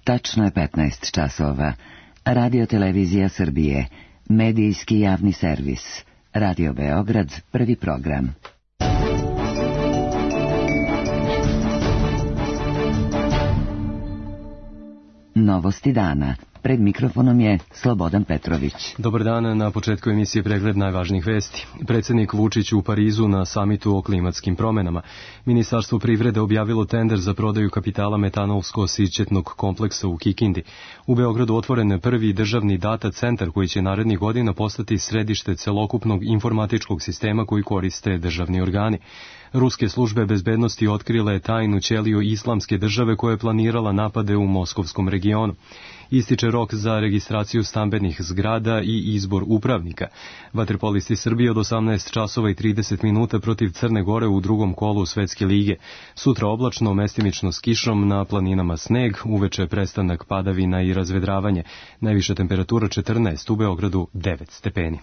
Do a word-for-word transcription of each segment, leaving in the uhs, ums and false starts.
Tačno je petnaest časova. Radio Televizija Srbije, medijski javni servis. Radio Beograd, prvi program. Novosti dana. Pred mikrofonom je Slobodan Petrović. Dobar dan, na početku emisije pregled najvažnijih vesti. Predsjednik Vučić u Parizu na samitu o klimatskim promenama. Ministarstvo privrede objavilo tender za prodaju kapitala metanolsko-sićetnog kompleksa u Kikindi. U Beogradu otvoren prvi državni data centar koji će narednih godina postati središte celokupnog informatičkog sistema koji koriste državni organi. Ruske službe bezbednosti otkrile tajnu ćeliju islamske države koja je planirala napade u moskovskom regionu. Ističe rok za registraciju stambenih zgrada i izbor upravnika. Vaterpolisti Srbije od osamnaest časova i trideset minuta protiv Crne Gore u drugom kolu Svetske lige. Sutra oblačno, mestimično s kišom, na planinama sneg, uveče prestanak padavina i razvedravanje. Najviša temperatura četrnaest, u Beogradu devet stepeni.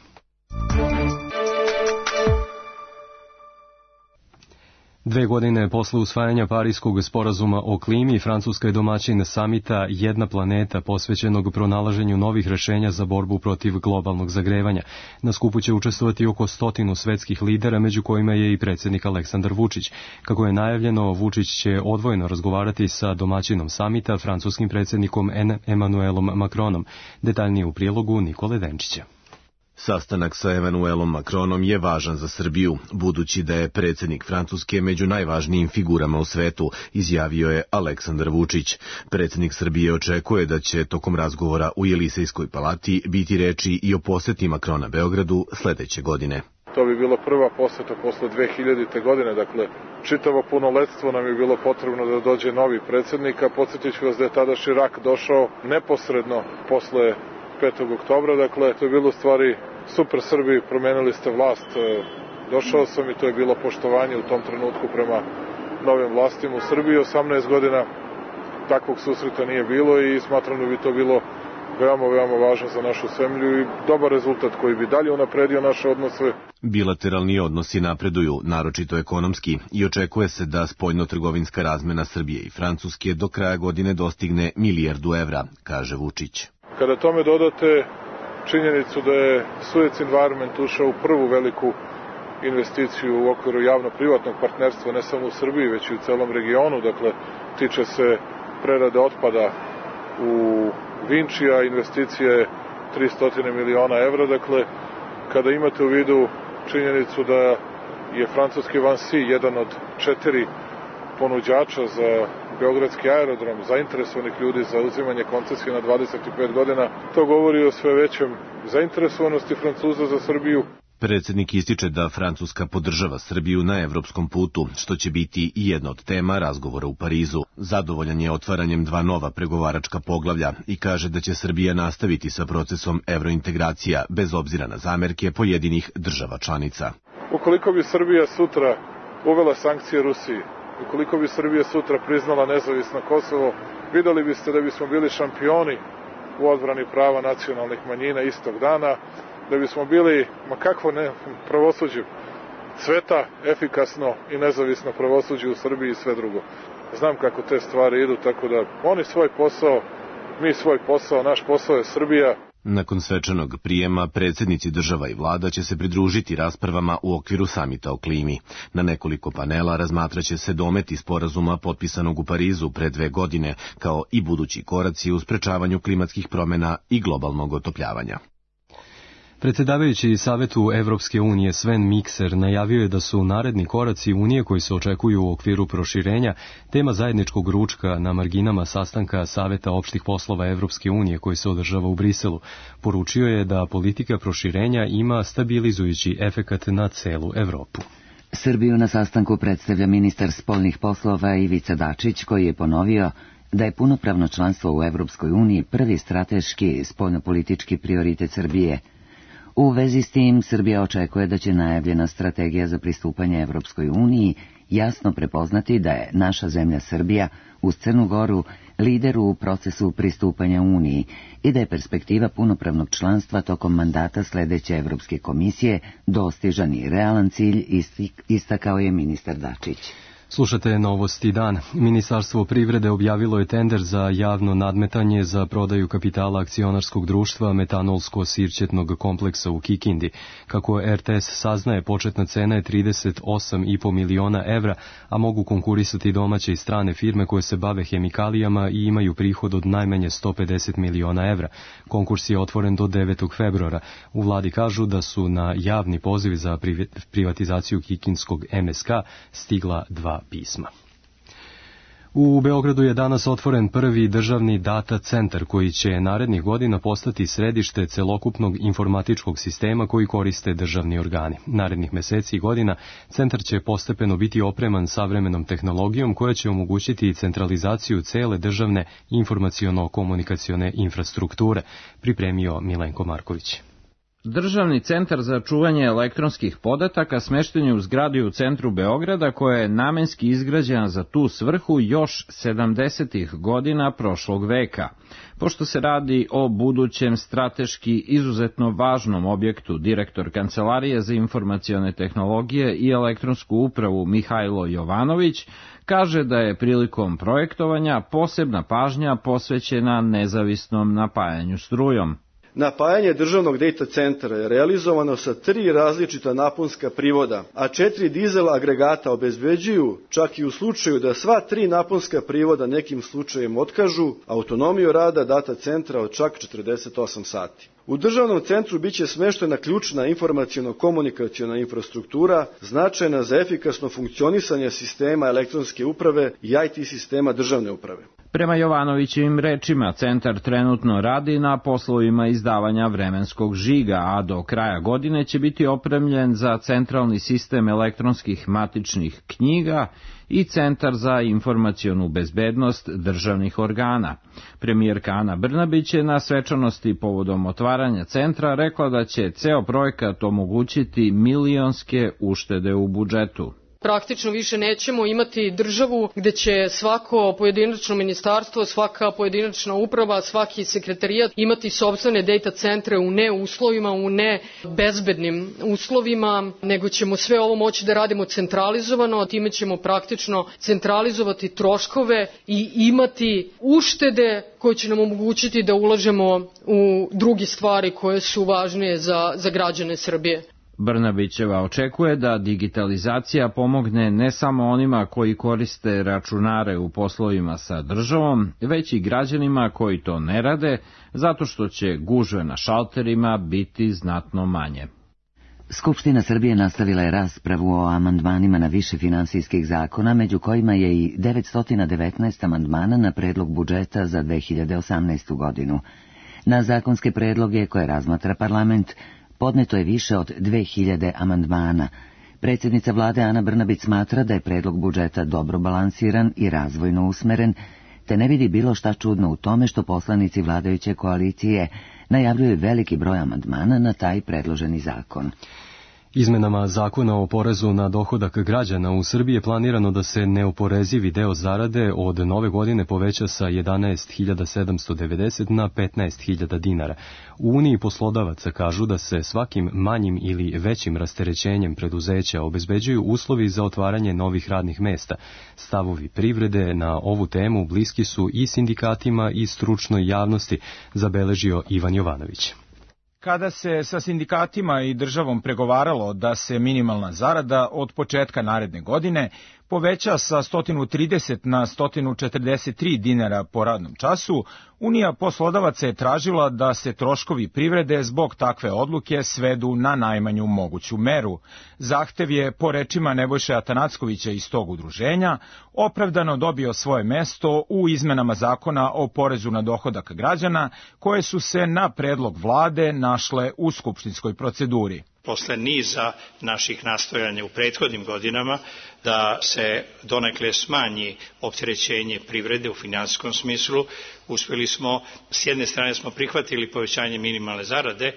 Dve godine posle usvajanja Pariskog sporazuma o klimi, Francuska je domaćin samita Jedna planeta posvećenog pronalaženju novih rešenja za borbu protiv globalnog zagrevanja. Na skupu će učestvovati oko stotinu svetskih lidera, među kojima je i predsjednik Aleksandar Vučić. Kako je najavljeno, Vučić će odvojeno razgovarati sa domaćinom samita, francuskim predsjednikom Emmanuelom Macronom. Detaljnije u prilogu Nikole Denčića. Sastanak sa Emmanuelom Macronom je važan za Srbiju, budući da je predsjednik Francuske među najvažnijim figurama u svetu, izjavio je Aleksandar Vučić. Predsjednik Srbije očekuje da će tokom razgovora u Jelisejskoj palati biti reči i o poseti Macrona Beogradu sledeće godine. To bi bila prva poseta posle dve hiljadite. godine, dakle čitavo punoletstvo nam je bilo potrebno da dođe novi predsjednik, a podsjetit ću vas da je tada Širak došao neposredno posle petog oktobra, dakle to je bilo stvari super Srbiji, promenili ste vlast, došao sam i to je bilo poštovanje u tom trenutku prema novim vlastima u Srbiji. osamnaest godina takvog susreta nije bilo i smatram da bi to bilo veoma, veoma važno za našu zemlju i dobar rezultat koji bi dalje unapredio naše odnose. Bilateralni odnosi napreduju, naročito ekonomski, i očekuje se da spoljno-trgovinska razmena Srbije i Francuske do kraja godine dostigne milijardu evra, kaže Vučić. Kada tome dodate činjenicu da je Suez Environment ušao u prvu veliku investiciju u okviru javno-privatnog partnerstva, ne samo u Srbiji, već i u celom regionu, dakle, tiče se prerade otpada u Vinčija, investicija je tristo miliona evra, dakle, kada imate u vidu činjenicu da je francuski Vinci jedan od četiri ponuđača za beogradski aerodrom, zainteresovanih ljudi za uzimanje koncesije na dvadeset pet godina, to govori o sve većem zainteresovanosti Francuza za Srbiju. Predsjednik ističe da Francuska podržava Srbiju na evropskom putu, što će biti i jedna od tema razgovora u Parizu. Zadovoljan je otvaranjem dva nova pregovaračka poglavlja i kaže da će Srbija nastaviti sa procesom evrointegracija bez obzira na zamerke pojedinih država članica. Ukoliko bi Srbija sutra uvela sankcije Rusiji, ukoliko bi Srbija sutra priznala nezavisno Kosovo, videli biste da bismo bili šampioni u odbrani prava nacionalnih manjina istog dana, da bismo bili, ma kakvo ne, pravosuđe, sveta, efikasno i nezavisno pravosuđe u Srbiji i sve drugo. Znam kako te stvari idu, tako da oni svoj posao, mi svoj posao, naš posao je Srbija. Nakon svečanog prijema, predsjednici država i vlada će se pridružiti raspravama u okviru samita o klimi. Na nekoliko panela razmatraće se dometi sporazuma potpisanog u Parizu pre dve godine, kao i budući koraci u sprečavanju klimatskih promjena i globalnog otopljavanja. Predsjedavajući Savetu Evropske unije Sven Mikser najavio je da su naredni koraci Unije koji se očekuju u okviru proširenja tema zajedničkog ručka na marginama sastanka Saveta opštih poslova Evropske unije koji se održava u Briselu. Poručio je da politika proširenja ima stabilizujući efekat na celu Evropu. Srbiju na sastanku predstavlja ministar spoljnih poslova Ivica Dačić, koji je ponovio da je punopravno članstvo u Evropskoj uniji prvi strateški spoljnopolitički prioritet Srbije. U vezi s tim, Srbija očekuje da će najavljena strategija za pristupanje Evropskoj uniji jasno prepoznati da je naša zemlja Srbija uz Crnu Goru lider u procesu pristupanja Uniji i da je perspektiva punopravnog članstva tokom mandata sledeće Evropske komisije dostižan i realan cilj, istakao je ministar Dačić. Slušate Novosti dan. Ministarstvo privrede objavilo je tender za javno nadmetanje za prodaju kapitala akcionarskog društva metanolsko-sirćetnog kompleksa u Kikindi. Kako er te es saznaje, početna cena je trideset osam i po miliona evra, a mogu konkurisati domaće i strane firme koje se bave hemikalijama i imaju prihod od najmanje sto pedeset miliona evra. Konkurs je otvoren do devetog februara. U vladi kažu da su na javni poziv za privatizaciju Kikindskog em es ka stigla dva pisma. U Beogradu je danas otvoren prvi državni data centar koji će narednih godina postati središte celokupnog informatičkog sistema koji koriste državni organi. Narednih meseci i godina centar će postepeno biti opreman savremenom tehnologijom koja će omogućiti centralizaciju cele državne informaciono-komunikacione infrastrukture, pripremio Milenko Marković. Državni centar za čuvanje elektronskih podataka smešten je u zgradi u centru Beograda koja je namenski izgrađena za tu svrhu još sedamdesetih godina prošlog veka. Pošto se radi o budućem strateški izuzetno važnom objektu, direktor Kancelarije za informacione tehnologije i elektronsku upravu Mihajlo Jovanović kaže da je prilikom projektovanja posebna pažnja posvećena nezavisnom napajanju strujom. Napajanje državnog data centra je realizovano sa tri različita naponska privoda, a četiri dizel agregata obezbeđuju, čak i u slučaju da sva tri naponska privoda nekim slučajem otkažu, autonomiju rada data centra od čak četrdeset osam sati. U državnom centru biće smeštena ključna informaciono-komunikaciona infrastruktura, značajna za efikasno funkcionisanje sistema elektronske uprave i i te sistema državne uprave. Prema Jovanovićevim rečima, centar trenutno radi na poslovima izdavanja vremenskog žiga, a do kraja godine će biti opremljen za centralni sistem elektronskih matičnih knjiga i centar za informacionu bezbednost državnih organa. Premijerka Ana Brnabić je na svečanosti povodom otvaranja centra rekla da će ceo projekat omogućiti milionske uštede u budžetu. Praktično više nećemo imati državu gde će svako pojedinačno ministarstvo, svaka pojedinačna uprava, svaki sekretarijat imati sopstvene data centre u ne uslovima, u ne bezbednim uslovima, nego ćemo sve ovo moći da radimo centralizovano, a time ćemo praktično centralizovati troškove i imati uštede koje će nam omogućiti da ulažemo u druge stvari koje su važnije za, za građane Srbije. Brnabićeva očekuje da digitalizacija pomogne ne samo onima koji koriste računare u poslovima sa državom, već i građanima koji to ne rade, zato što će gužve na šalterima biti znatno manje. Skupština Srbije nastavila je raspravu o amandmanima na više finansijskih zakona, među kojima je i devetsto devetnaest amandmana na predlog budžeta za dve hiljade osamnaestu. godinu. Na zakonske predloge koje razmatra parlament podneto je više od dve hiljade amandmana. Predsjednica vlade Ana Brnabić smatra da je predlog budžeta dobro balansiran i razvojno usmeren, te ne vidi bilo šta čudno u tome što poslanici vladajuće koalicije najavljuju veliki broj amandmana na taj predloženi zakon. Izmenama zakona o porezu na dohodak građana u Srbiji je planirano da se neoporezivi deo zarade od nove godine poveća sa jedanaest hiljada sedamsto devedeset na petnaest hiljada dinara. U Uniji poslodavaca kažu da se svakim manjim ili većim rasterećenjem preduzeća obezbeđuju uslovi za otvaranje novih radnih mesta. Stavovi privrede na ovu temu bliski su i sindikatima i stručnoj javnosti, zabeležio Ivan Jovanović. Kada se sa sindikatima i državom pregovaralo da se minimalna zarada od početka naredne godine poveća sa sto trideset na sto četrdeset tri dinara po radnom času, Unija poslodavaca je tražila da se troškovi privrede zbog takve odluke svedu na najmanju moguću meru. Zahtev je, po rečima Nebojše Atanackovića iz tog udruženja, opravdano dobio svoje mesto u izmenama zakona o porezu na dohodak građana, koje su se na predlog vlade našle u skupštinskoj proceduri. Posle niza naših nastojanja u prethodnim godinama da se donekle smanji opterećenje privrede u finansijskom smislu, uspeli smo, s jedne strane smo prihvatili povećanje minimalne zarade,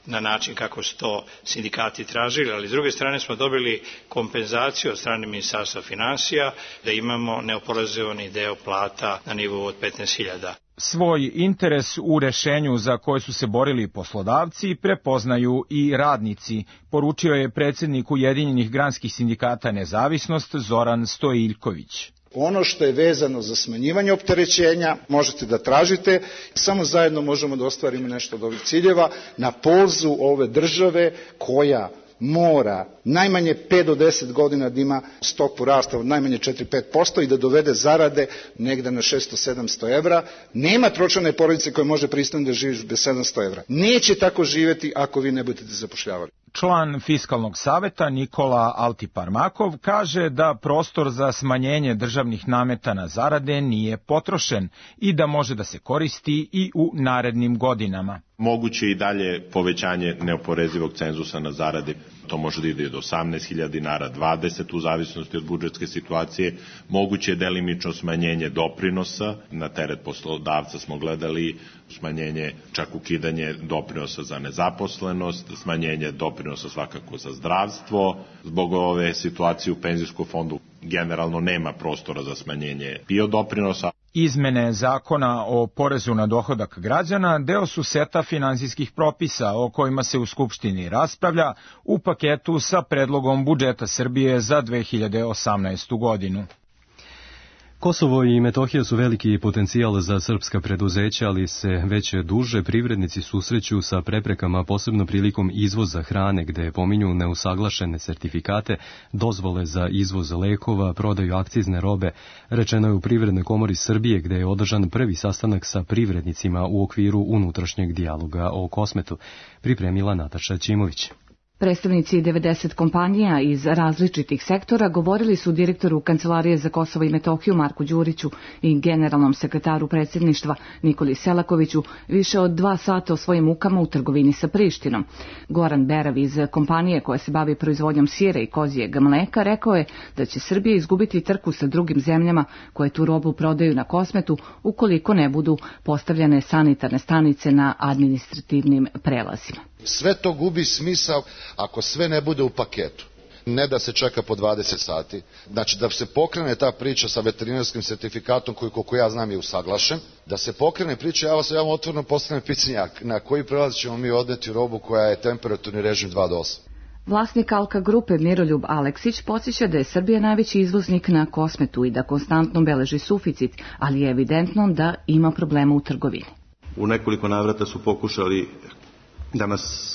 na način kako su to sindikati tražili, ali s druge strane smo dobili kompenzaciju od strane Ministarstva finansija da imamo neoporezovani deo plata na nivou od petnaest hiljada. Svoj interes u rešenju za koje su se borili poslodavci prepoznaju i radnici, poručio je predsjednik Ujedinjenih granskih sindikata Nezavisnost Zoran Stojiljković. Ono što je vezano za smanjivanje opterećenja možete da tražite, samo zajedno možemo da ostvarimo nešto od ovih ciljeva na polzu ove države koja mora najmanje pet do deset godina da ima stopu rasta od najmanje četiri do pet posto i da dovede zarade negde na šesto do sedamsto evra. Nema tročlane porodice koja može pristojno da živi bez sedamsto evra. Neće tako živeti ako vi ne budete zapošljavali. Član Fiskalnog saveta Nikola Altiparmakov kaže da prostor za smanjenje državnih nameta na zarade nije potrošen i da može da se koristi i u narednim godinama. Moguće i dalje povećanje neoporezivog cenzusa na zarade, to može da ide do osamnaest hiljada dinara, dvadeset u zavisnosti od budžetske situacije. Moguće je delimično smanjenje doprinosa, na teret poslodavca smo gledali smanjenje, čak ukidanje doprinosa za nezaposlenost, smanjenje doprinosa svakako za zdravstvo. Zbog ove situacije u penzijskom fondu generalno nema prostora za smanjenje P I O doprinosa. Izmene zakona o porezu na dohodak građana deo su seta finansijskih propisa o kojima se u Skupštini raspravlja u paketu sa predlogom budžeta Srbije za dve hiljade osamnaestu godinu. Kosovo i Metohija su veliki potencijal za srpska preduzeća, ali se već duže privrednici susreću sa preprekama, posebno prilikom izvoza hrane, gde pominju neusaglašene sertifikate, dozvole za izvoz lekova, prodaju akcizne robe. Rečeno je u Privrednoj komori Srbije, gde je održan prvi sastanak sa privrednicima u okviru unutrašnjeg dijaloga o Kosmetu. Pripremila Nataša Ćimović. Predstavnici devedeset kompanija iz različitih sektora govorili su direktoru Kancelarije za Kosovo i Metohiju Marku Đuriću i generalnom sekretaru predsjedništva Nikoli Selakoviću više od dva sata o svojim mukama u trgovini sa Prištinom. Goran Berav iz kompanije koja se bavi proizvodnjom sira i kozijeg mleka rekao je da će Srbija izgubiti trku sa drugim zemljama koje tu robu prodaju na Kosmetu ukoliko ne budu postavljene sanitarne stanice na administrativnim prelazima. Sve to gubi smisao ako sve ne bude u paketu. Ne da se čeka po dvadeset sati. Znači da se pokrene ta priča sa veterinarskim sertifikatom koji, koliko ja znam, je usaglašen. Da se pokrene priča, ja vas ja vam otvoreno postavljam pitanje na koji prelaz ćemo mi odneti robu koja je temperaturni režim dva do osam. Vlasnik Alka grupe Miroljub Aleksić podsjeća da je Srbija najveći izvoznik na Kosmetu i da konstantno beleži suficit, ali je evidentno da ima problema u trgovini. U nekoliko navrata su pokušali da nas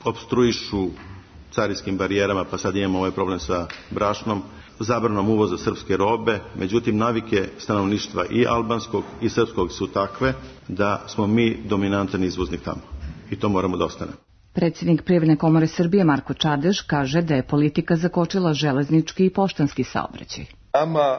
opstruišu carinskim barijerama, pa sad imamo ovaj problem sa brašnom, zabranom uvoza srpske robe, međutim navike stanovništva i albanskog i srpskog su takve da smo mi dominantan izvoznik tamo i to moramo da ostane. Predsjednik Privredne komore Srbije Marko Čadež kaže da je politika zakočila železnički i poštanski saobraćaj. Nama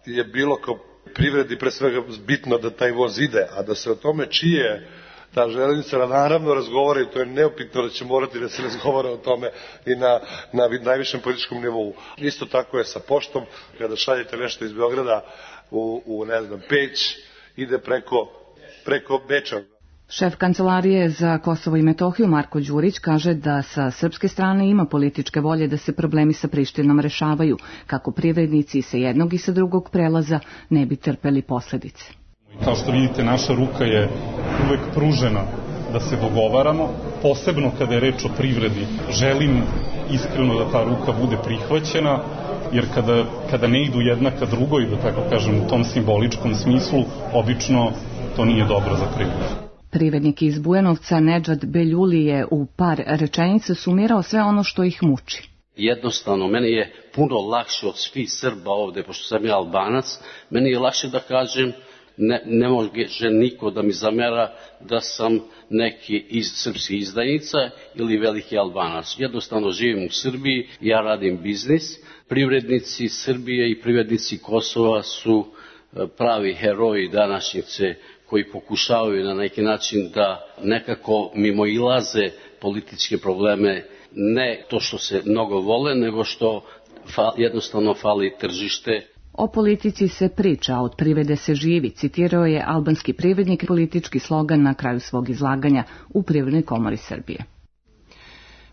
je bilo kao privredi pre svega bitno da taj voz ide, a da se o tome čije ta železnica naravno razgovara i to je neupitno da će morati da se razgovara o tome i na, na najvišem političkom nivou. Isto tako je sa poštom, kada šaljete nešto iz Beograda u, u ne znam, Peć, ide preko, preko Beča. Šef Kancelarije za Kosovo i Metohiju Marko Đurić kaže da sa srpske strane ima političke volje da se problemi sa Prištinom rešavaju, kako privrednici sa jednog i sa drugog prelaza ne bi trpeli posledice. Kao što vidite, naša ruka je uvek pružena da se dogovaramo, posebno kada je reč o privredi. Želim iskreno da ta ruka bude prihvaćena, jer kada, kada ne idu jedna ka drugoj, da tako kažem, u tom simboličkom smislu, obično to nije dobro za privredu. Privrednik iz Bujanovca Nedžad Beljuli je u par rečenica sumirao sve ono što ih muči. Jednostavno, meni je puno lakše od svih Srba ovde, pošto sam ja Albanac, meni je lakše da kažem, ne, ne može niko da mi zamera da sam neki iz srpskih izdajnica ili veliki Albanac. Jednostavno živim u Srbiji, ja radim biznis, privrednici Srbije i privrednici Kosova su pravi heroji današnjice koji pokušavaju na neki način da nekako mimoilaze političke probleme, ne to što se mnogo vole, nego što fa, jednostavno fali tržište. O politici se priča, a od privrede se živi, citirao je albanski privrednik politički slogan na kraju svog izlaganja u Privrednoj komori Srbije.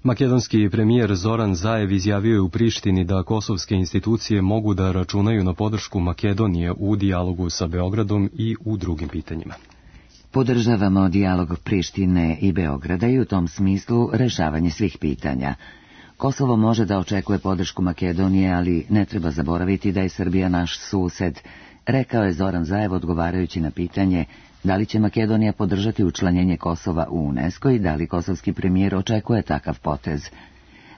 Makedonski premijer Zoran Zaev izjavio je u Prištini da kosovske institucije mogu da računaju na podršku Makedonije u dijalogu sa Beogradom i u drugim pitanjima. Podržavamo dijalog Prištine i Beograda i u tom smislu rešavanje svih pitanja. Kosovo može da očekuje podršku Makedonije, ali ne treba zaboraviti da je Srbija naš sused, rekao je Zoran Zaev odgovarajući na pitanje da li će Makedonija podržati učlanjenje Kosova u UNESCO i da li kosovski premijer očekuje takav potez.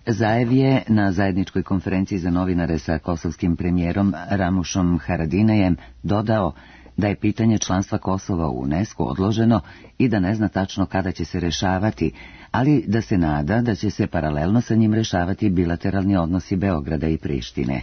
Zaev je na zajedničkoj konferenciji za novinare sa kosovskim premijerom Ramušom Haradinajem dodao da je pitanje članstva Kosova u UNESCO odloženo i da ne zna tačno kada će se rešavati, ali da se nada da će se paralelno sa njim rešavati bilateralni odnosi Beograda i Prištine.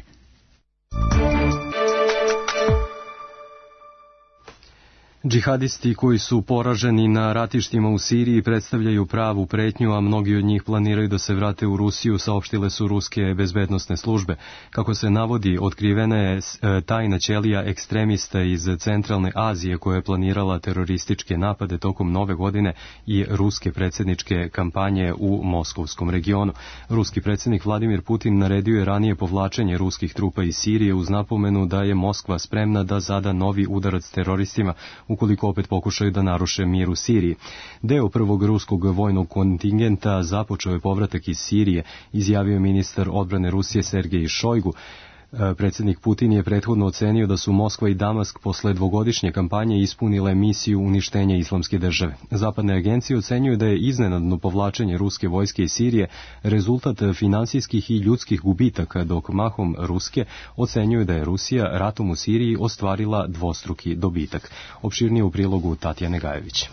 Džihadisti koji su poraženi na ratištima u Siriji predstavljaju pravu pretnju, a mnogi od njih planiraju da se vrate u Rusiju, saopštile su ruske bezbednosne službe. Kako se navodi, otkrivena je tajna ćelija ekstremista iz Centralne Azije koja je planirala terorističke napade tokom nove godine i ruske predsjedničke kampanje u Moskovskom regionu. Ruski predsjednik Vladimir Putin naredio je ranije povlačenje ruskih trupa iz Sirije uz napomenu da je Moskva spremna da zada novi udarac teroristima ukoliko opet pokušaju da naruše mir u Siriji. Deo prvog ruskog vojnog kontingenta započeo je povratak iz Sirije, izjavio ministar odbrane Rusije Sergej Šojgu. Predsjednik Putin je prethodno ocenio da su Moskva i Damask posle dvogodišnje kampanje ispunile misiju uništenja islamske države. Zapadne agencije ocenjuju da je iznenadno povlačenje ruske vojske iz Sirije rezultat finansijskih i ljudskih gubitaka, dok mahom ruske ocenjuju da je Rusija ratom u Siriji ostvarila dvostruki dobitak. Opširnije u prilogu Tatjane Gajević.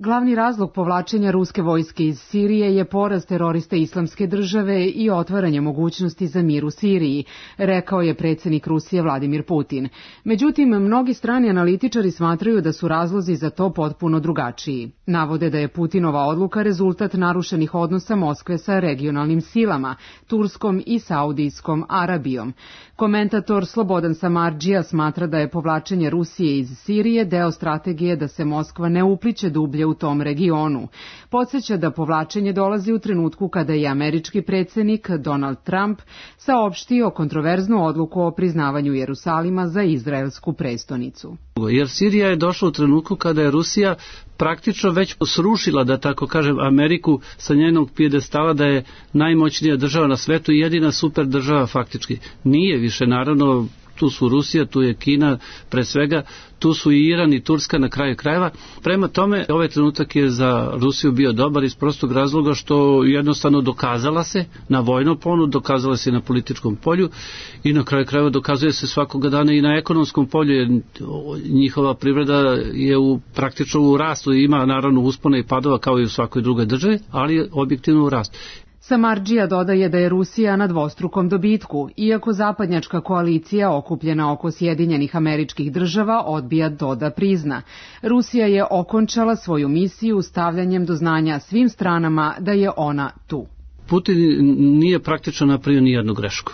Glavni razlog povlačenja ruske vojske iz Sirije je poraz terorista islamske države i otvaranje mogućnosti za mir u Siriji, rekao je predsjednik Rusije Vladimir Putin. Međutim, mnogi strani analitičari smatraju da su razlozi za to potpuno drugačiji. Navode da je Putinova odluka rezultat narušenih odnosa Moskve sa regionalnim silama, Turskom i Saudijskom Arabijom. Komentator Slobodan Samardžija smatra da je povlačenje Rusije iz Sirije deo strategije da se Moskva ne upliće dublje u tom regionu. Podsjeća da povlačenje dolazi u trenutku kada je američki predsjednik Donald Trump saopštio kontroverznu odluku o priznavanju Jerusalima za izraelsku prestonicu. Jer Sirija je došla u trenutku kada je Rusija praktično već srušila, da tako kažem, Ameriku sa njenog pijedestala da je najmoćnija država na svetu i jedina super država faktički. Nije više, naravno, tu su Rusija, tu je Kina, pre svega, tu su i Iran i Turska na kraju krajeva. Prema tome, ovaj trenutak je za Rusiju bio dobar iz prostog razloga što jednostavno dokazala se na vojnom polju, dokazala se na političkom polju i na kraju krajeva dokazuje se svakoga dana i na ekonomskom polju, jer njihova privreda je u, praktično u rastu, ima naravno uspona i padova kao i u svakoj drugoj državi, ali je objektivno u rastu. Samardžija dodaje da je Rusija na dvostrukom dobitku, iako zapadnjačka koalicija okupljena oko Sjedinjenih Američkih Država odbija to da prizna. Rusija je okončala svoju misiju stavljanjem do znanja svim stranama da je ona tu. Putin nije praktično napravio ni jednu grešku.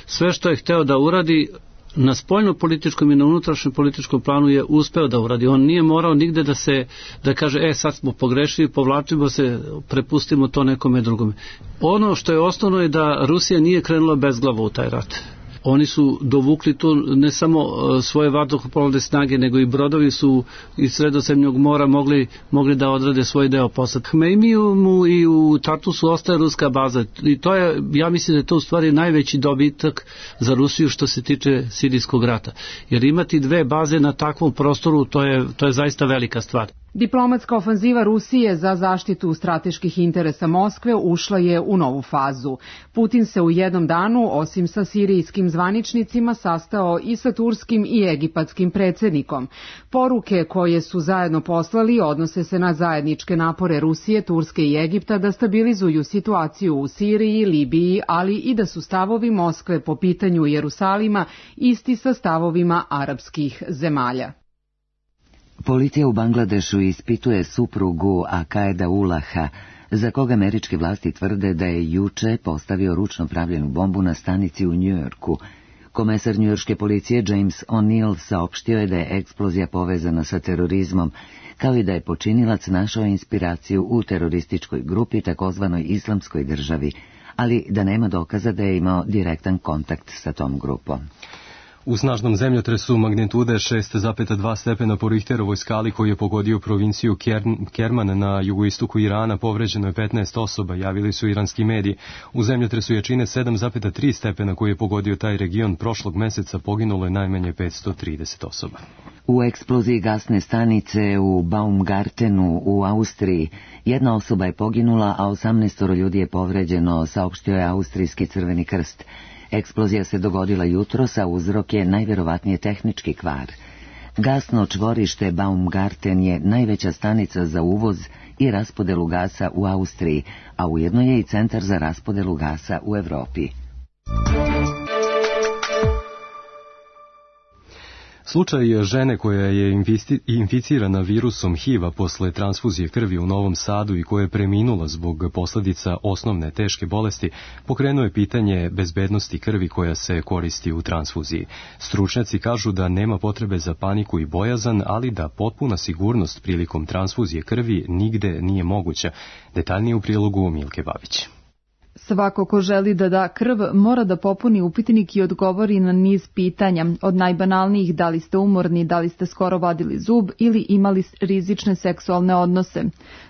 Sve što je hteo da uradi na spoljno-političkom i na unutrašnjem političkom planu je uspeo da uradi. On nije morao nigde da se, da kaže, e sad smo pogrešili, povlačimo se, prepustimo to nekome drugome. Ono što je osnovno je da Rusija nije krenula bezglavo u taj rat. Oni su dovukli tu ne samo svoje vazduhoplovne snage, nego i brodovi su iz Sredozemnog mora mogli, mogli da odrade svoj deo posla. Hmejmijumu i u Tartusu ostaje ruska baza i to je, ja mislim da je to u stvari najveći dobitak za Rusiju što se tiče sirijskog rata. Jer imati dve baze na takvom prostoru, to je, to je zaista velika stvar. Diplomatska ofanziva Rusije za zaštitu strateških interesa Moskve ušla je u novu fazu. Putin se u jednom danu, osim sa sirijskim zvaničnicima, sastao i sa turskim i egipatskim predsjednikom. Poruke koje su zajedno poslali odnose se na zajedničke napore Rusije, Turske i Egipta da stabilizuju situaciju u Siriji, Libiji, ali i da su stavovi Moskve po pitanju Jerusalima isti sa stavovima arapskih zemalja. Policija u Bangladešu ispituje suprugu Akaeda Ulaha, za koga američke vlasti tvrde da je juče postavio ručno pravljenu bombu na stanici u Njujorku. Komesar njujorške policije James O'Neill saopštio je da je eksplozija povezana sa terorizmom, kao i da je počinilac našao inspiraciju u terorističkoj grupi takozvanoj Islamskoj državi, ali da nema dokaza da je imao direktan kontakt sa tom grupom. U snažnom zemljotresu magnitude šest zarez dva stepena po Richterovoj skali koji je pogodio provinciju Kerman na jugoistoku Irana povređeno je petnaest osoba, javili su iranski mediji. U zemljotresu jačine sedam zarez tri stepena koji je pogodio taj region prošlog meseca poginulo je najmanje petsto trideset osoba. U eksploziji gasne stanice u Baumgartenu u Austriji jedna osoba je poginula, a osamnaestoro ljudi je povređeno, saopštio je Austrijski Crveni krst. Eksplozija se dogodila jutros, a uzrok je najverovatnije tehnički kvar. Gasno čvorište Baumgarten je najveća stanica za uvoz i raspodelu gasa u Austriji, a ujedno je i centar za raspodelu gasa u Evropi. Slučaj žene koja je inficirana virusom H I V-a posle transfuzije krvi u Novom Sadu i koja je preminula zbog posljedica osnovne teške bolesti pokrenuo je pitanje bezbednosti krvi koja se koristi u transfuziji. Stručnjaci kažu da nema potrebe za paniku i bojazan, ali da potpuna sigurnost prilikom transfuzije krvi nigde nije moguća. Detaljnije u prilogu Milke Babić. Svako ko želi da da krv mora da popuni upitnik i odgovori na niz pitanja, od najbanalnijih da li ste umorni, da li ste skoro vadili zub ili imali rizične seksualne odnose.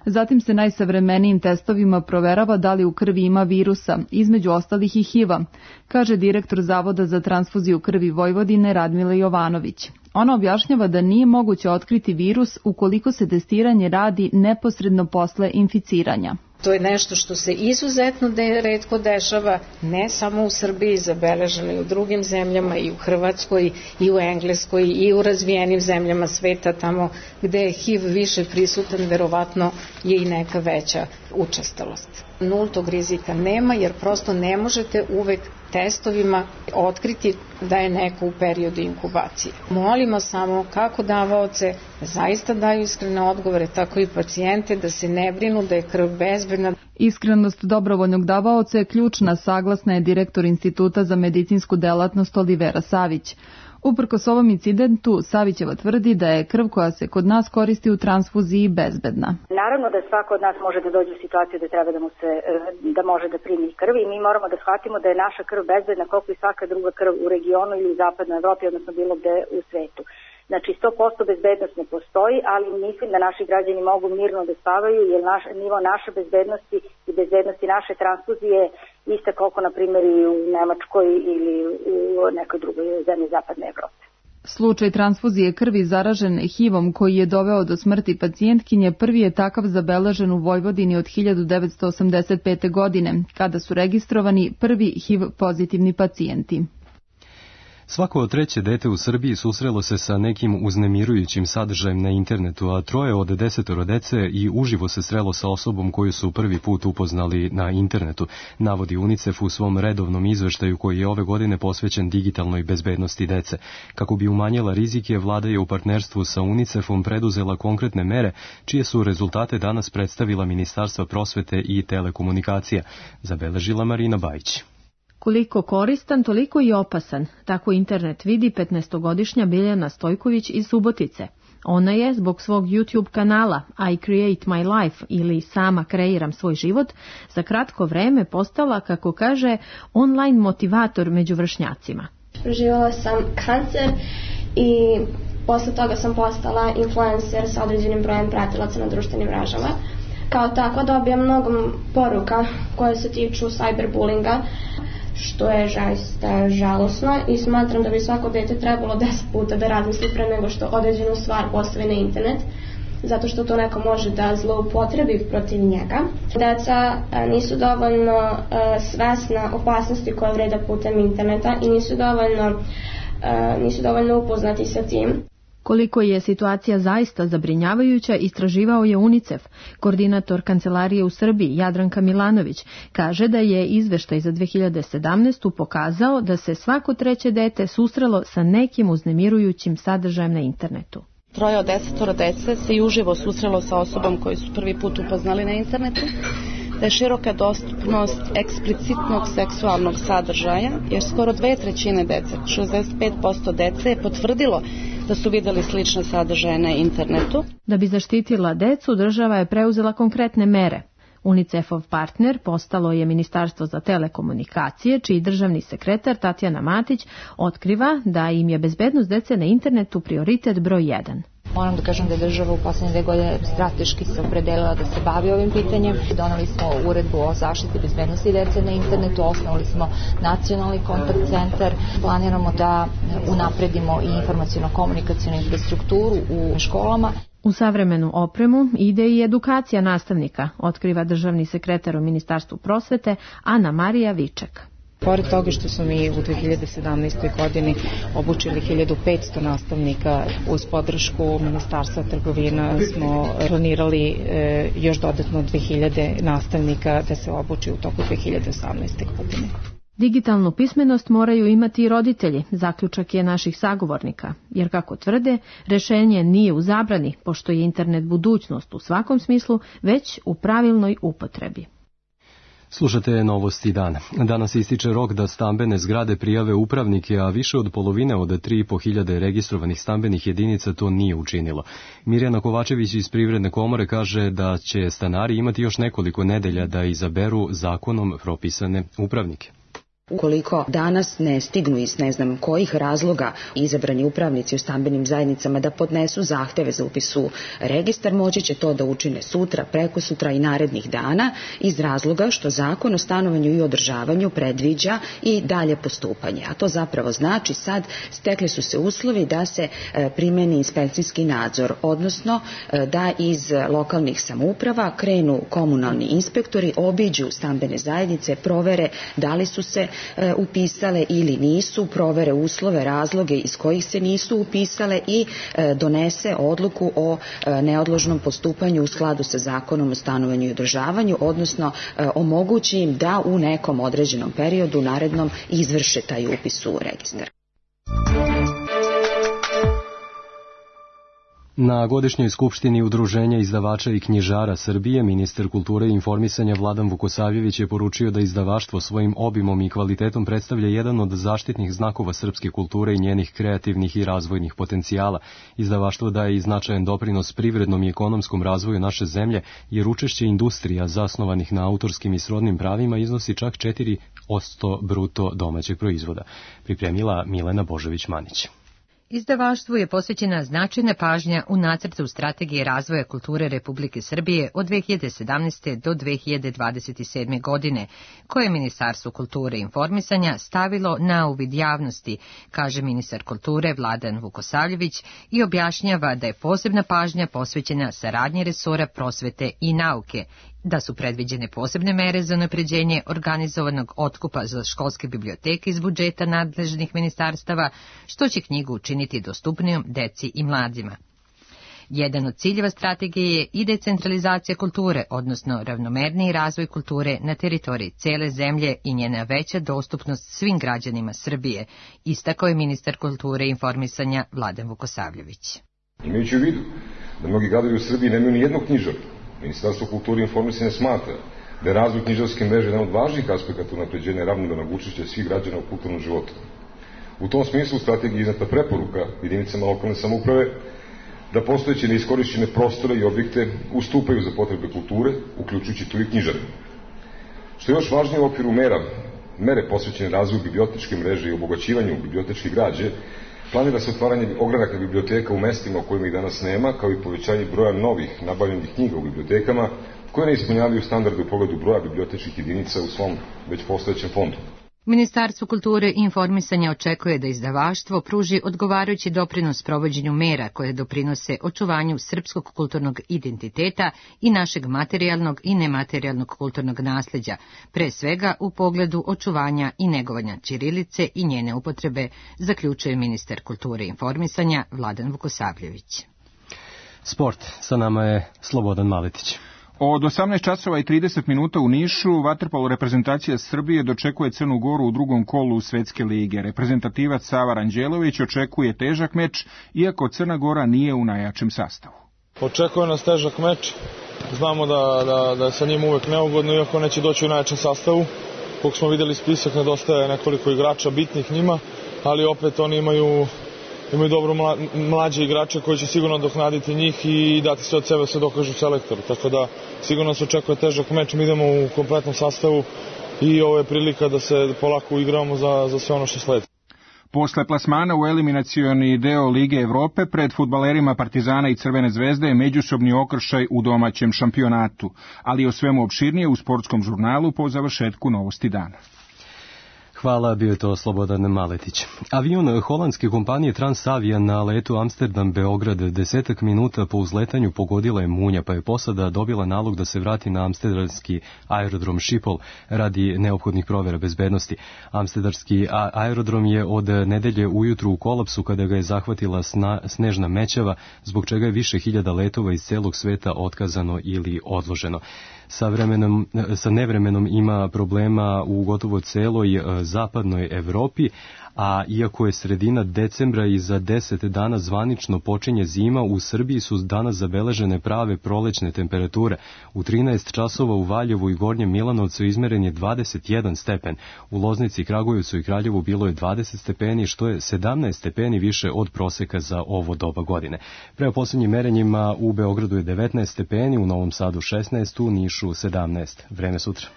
Zatim se najsavremenijim testovima proverava da li u krvi ima virusa, između ostalih i H I V-a, kaže direktor Zavoda za transfuziju krvi Vojvodine Radmila Jovanović. Ona objašnjava da nije moguće otkriti virus ukoliko se testiranje radi neposredno posle inficiranja. To je nešto što se izuzetno de, retko dešava, ne samo u Srbiji, zabeleženo i u drugim zemljama, i u Hrvatskoj, i u Engleskoj, i u razvijenim zemljama sveta, tamo gde je H I V više prisutan, verovatno je i neka veća učestalost. Nultog rizika nema, jer prosto ne možete uvek testovima otkriti da je neko u periodu inkubacije. Molimo samo kako davaoce da zaista daju iskrene odgovore, tako i pacijente da se ne brinu da je krv bezbedna. Iskrenost dobrovoljnog davaoca je ključna, saglasna je direktor Instituta za medicinsku delatnost Olivera Savić. Uprkos ovom incidentu, Savićeva tvrdi da je krv koja se kod nas koristi u transfuziji bezbedna. Naravno da svako od nas može da dođe u situaciju da treba da mu se, da može da primi krv i mi moramo da shvatimo da je naša krv bezbedna koliko i svaka druga krv u regionu ili u zapadnoj Evropi, odnosno bilo gde u svetu. Znači sto posto bezbednost ne postoji, ali mislim da naši građani mogu mirno da spavaju, jer naš, nivo naše bezbednosti i bezbednosti naše transfuzije iste koliko, na primjer, i u Nemačkoj ili u nekoj drugoj zemlji zapadne Evrope. Slučaj transfuzije krvi zaražen H I V-om koji je doveo do smrti pacijentkinje prvi je takav zabeležen u Vojvodini od hiljadu devetsto osamdeset pete. godine, kada su registrovani prvi H I V pozitivni pacijenti. Svako treće dete u Srbiji susrelo se sa nekim uznemirujućim sadržajem na internetu, a troje od desetoro dece i uživo se srelo sa osobom koju su prvi put upoznali na internetu, navodi UNICEF u svom redovnom izveštaju koji je ove godine posvećen digitalnoj bezbednosti dece. Kako bi umanjila rizike, vlada je u partnerstvu sa UNICEF-om preduzela konkretne mere, čije su rezultate danas predstavila Ministarstva prosvete i telekomunikacija, zabeležila Marina Bajić. Koliko koristan, toliko i opasan, tako internet vidi petnaestogodišnja Biljana Stojković iz Subotice. Ona je, zbog svog YouTube kanala I Create My Life ili Sama kreiram svoj život, za kratko vreme postala, kako kaže, online motivator među vršnjacima. Preživjela sam kancer i posle toga sam postala influencer sa određenim brojem pratilaca na društvenim mrežama. Kao tako dobijam mnogo poruka koje se tiču cyberbullinga, što je zaista žalosno i smatram da bi svako dete trebalo deset puta da razmisli pre nego što određenu stvar postavi na internet, zato što to neko može da zloupotrebi protiv njega. Deca nisu dovoljno svesna opasnosti koje vreda putem interneta i nisu dovoljno, nisu dovoljno upoznati sa tim. Koliko je situacija zaista zabrinjavajuća, istraživao je UNICEF. Koordinator kancelarije u Srbiji, Jadranka Milanović, kaže da je izveštaj za dve hiljade sedamnaestu. pokazao da se svako treće dete susrelo sa nekim uznemirujućim sadržajem na internetu. Troje od desetoro dece se i uživo susrelo sa osobom koju su prvi put upoznali na internetu. da je široka dostupnost eksplicitnog seksualnog sadržaja, jer skoro dve trećine dece, šezdeset pet posto dece je potvrdilo da su videli slične sadržaje na internetu. Da bi zaštitila decu, država je preuzela konkretne mere. UNICEF-ov partner postalo je Ministarstvo za telekomunikacije, čiji državni sekretar Tatjana Matić otkriva da im je bezbednost dece na internetu prioritet broj jedan. Moram da kažem da je država u poslednje dve godine strateški se opredelila da se bavi ovim pitanjem. Doneli smo uredbu o zaštiti bezbednosti dece na internetu, osnovali smo nacionalni kontakt centar, planiramo da unapredimo i informaciono-komunikacionu infrastrukturu u školama. U savremenu opremu ide i edukacija nastavnika, otkriva državni sekretar u Ministarstvu prosvete Ana Marija Viček. Pored toga što smo mi u dve hiljade sedamnaestoj godini obučili hiljadu petsto nastavnika, uz podršku Ministarstva trgovina smo planirali e, još dodatno dve hiljade nastavnika da se obuči u toku dve hiljade osamnaeste. godine. Digitalnu pismenost moraju imati i roditelji, zaključak je naših sagovornika, jer kako tvrde, rešenje nije u zabrani, pošto je internet budućnost u svakom smislu, već u pravilnoj upotrebi. Slušate Novosti dana. Danas ističe rok da stambene zgrade prijave upravnike, a više od polovine od tri i po hiljade registrovanih stambenih jedinica to nije učinilo. Mirjana Kovačević iz Privredne komore kaže da će stanari imati još nekoliko nedelja da izaberu zakonom propisane upravnike. Ukoliko danas ne stignu iz ne znam kojih razloga izabrani upravnici u stambenim zajednicama da podnesu zahteve za upis u registar, moći će to da učine sutra, prekosutra i narednih dana iz razloga što Zakon o stanovanju i održavanju predviđa i dalje postupanje. A to zapravo znači sad stekli su se uslovi da se primeni inspekcijski nadzor, odnosno da iz lokalnih samouprava krenu komunalni inspektori, obiđu stambene zajednice, provere da li su se upisale ili nisu, provere uslove, razloge iz kojih se nisu upisale i donese odluku o neodložnom postupanju u skladu sa Zakonom o stanovanju i održavanju, odnosno omogući im da u nekom određenom periodu narednom izvrše taj upis u registar. Na godišnjoj skupštini Udruženja izdavača i knjižara Srbije, ministar kulture i informisanja Vladan Vukosavljević je poručio da izdavaštvo svojim obimom i kvalitetom predstavlja jedan od zaštitnih znakova srpske kulture i njenih kreativnih i razvojnih potencijala. Izdavaštvo daje i značajan doprinos privrednom i ekonomskom razvoju naše zemlje, jer učešće industrija zasnovanih na autorskim i srodnim pravima iznosi čak četiri posto bruto domaćeg proizvoda. Pripremila Milena Božović-Manić. Izdavaštvu je posvećena značajna pažnja u nacrtu strategije razvoja kulture Republike Srbije od dve hiljade sedamnaeste. do dve hiljade dvadeset sedme. godine, koje je Ministarstvo kulture i informisanja stavilo na uvid javnosti, kaže ministar kulture Vladan Vukosavljević i objašnjava da je posebna pažnja posvećena saradnji resora prosvete i nauke, da su predviđene posebne mere za unapređenje organizovanog otkupa za školske biblioteke iz budžeta nadležnih ministarstava, što će knjigu učiniti dostupnijom deci i mladima. Jedan od ciljeva strategije je i decentralizacija kulture, odnosno ravnomerniji razvoj kulture na teritoriji cele zemlje i njena veća dostupnost svim građanima Srbije, istakao je ministar kulture i informisanja Vladan Vukosavljević. Imajući u vidu da mnogi gradovi u Srbiji nemaju ni jednog knjižara, Ministarstvo kulture i informisanja smatra da je razvoj knjižarske mreže jedan od važnijih aspekata unapređenja ravnomernog učešća svih građana u kulturnom životu. U tom smislu u strategiji je iznata preporuka jedinicama lokalne samouprave da postojeće neiskorišćene prostore i objekte ustupaju za potrebe kulture, uključujući tu i knjižare. Što je još važnije u okviru mera, mere posvećene razvoju bibliotečke mreže i obogaćivanju bibliotečke građe, planira se otvaranje ogranaka biblioteka u mestima u kojima ih danas nema, kao i povećanje broja novih nabavljenih knjiga u bibliotekama koje ne ispunjavaju standarde u pogledu broja bibliotečkih jedinica u svom već postojećem fondu. Ministarstvo kulture i informisanja očekuje da izdavaštvo pruži odgovarajući doprinos provođenju mera koje doprinose očuvanju srpskog kulturnog identiteta i našeg materijalnog i nematerijalnog kulturnog nasleđa, pre svega u pogledu očuvanja i negovanja ćirilice i njene upotrebe, zaključuje ministar kulture i informisanja Vladan Vukosavljević. Sport, sa nama je Slobodan Maletić. Od osamnaest časova i trideset minuta u Nišu vaterpolo reprezentacija Srbije dočekuje Crnu Goru u drugom kolu Svetske lige. Reprezentativac Sava Ranđelović očekuje težak meč, iako Crna Gora nije u najjačem sastavu. Očekuje nas težak meč. znamo da, da, da je sa njim uvek neugodno, iako neće doći u najjačem sastavu. Koliko smo videli spisak, nedostaje nekoliko igrača bitnih njima, ali opet oni imaju, imaju dobro mla, mlađe igrače koji će sigurno dohnaditi njih i dati sve od sebe, sve dokažu selektoru. Tako da sigurno se očekuje težak meč, mi idemo u kompletnom sastavu i ovo je prilika da se polako uigramo za, za sve ono što sledi. Posle plasmana u eliminacioni deo Lige Evrope, pred fudbalerima Partizana i Crvene zvezde je međusobni okršaj u domaćem šampionatu, ali o svemu opširnije u sportskom žurnalu po završetku Novosti dana. Hvala, bio je to Slobodan Maletić. Avion holandske kompanije Transavia na letu Amsterdam-Beograd desetak minuta po uzletanju pogodila je munja, pa je posada dobila nalog da se vrati na amsterdamski aerodrom Schiphol radi neophodnih provera bezbednosti. Amsterdamski aerodrom je od nedelje ujutru u kolapsu kada ga je zahvatila sna, snežna mećava, zbog čega je više hiljada letova iz celog sveta otkazano ili odloženo. Sa, vremenom, sa nevremenom ima problema u gotovo celoj zapadnoj Evropi, a iako je sredina decembra i za deset dana zvanično počinje zima, u Srbiji su danas zabeležene prave prolećne temperature. U trinaest časova u Valjevu i Gornjem Milanovcu izmeren je dvadeset jedan stepen. U Loznici, Kragujevcu i Kraljevu bilo je dvadeset stepeni, što je sedamnaest stepeni više od proseka za ovo doba godine. Prema posljednjim merenjima u Beogradu je devetnaest stepeni, u Novom Sadu šesnaest, u Nišu sedamnaest. Vreme sutra.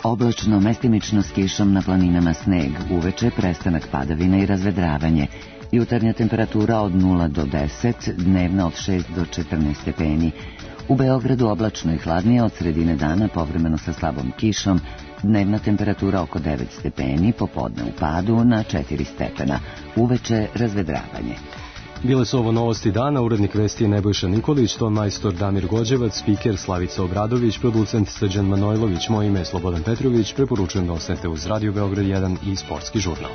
Oblačno, mestimično s kišom, na planinama sneg, uveče prestanak padavina i razvedravanje. Jutarnja temperatura od nula do deset, dnevna od šest do četrnaest stepeni. U Beogradu oblačno i hladnije, od sredine dana povremeno sa slabom kišom, dnevna temperatura oko devet stepeni, popodne u padu na četiri stepena, uveče razvedravanje. Bile su ovo Novosti dana, urednik vesti je Nebojša Nikolić, ton majstor Damir Gođevac, spiker Slavica Obradović, producent Srđan Manojlović, moje ime je Slobodan Petrović, preporučujem da ostanete uz Radio Beograd jedan i Sportski žurnal.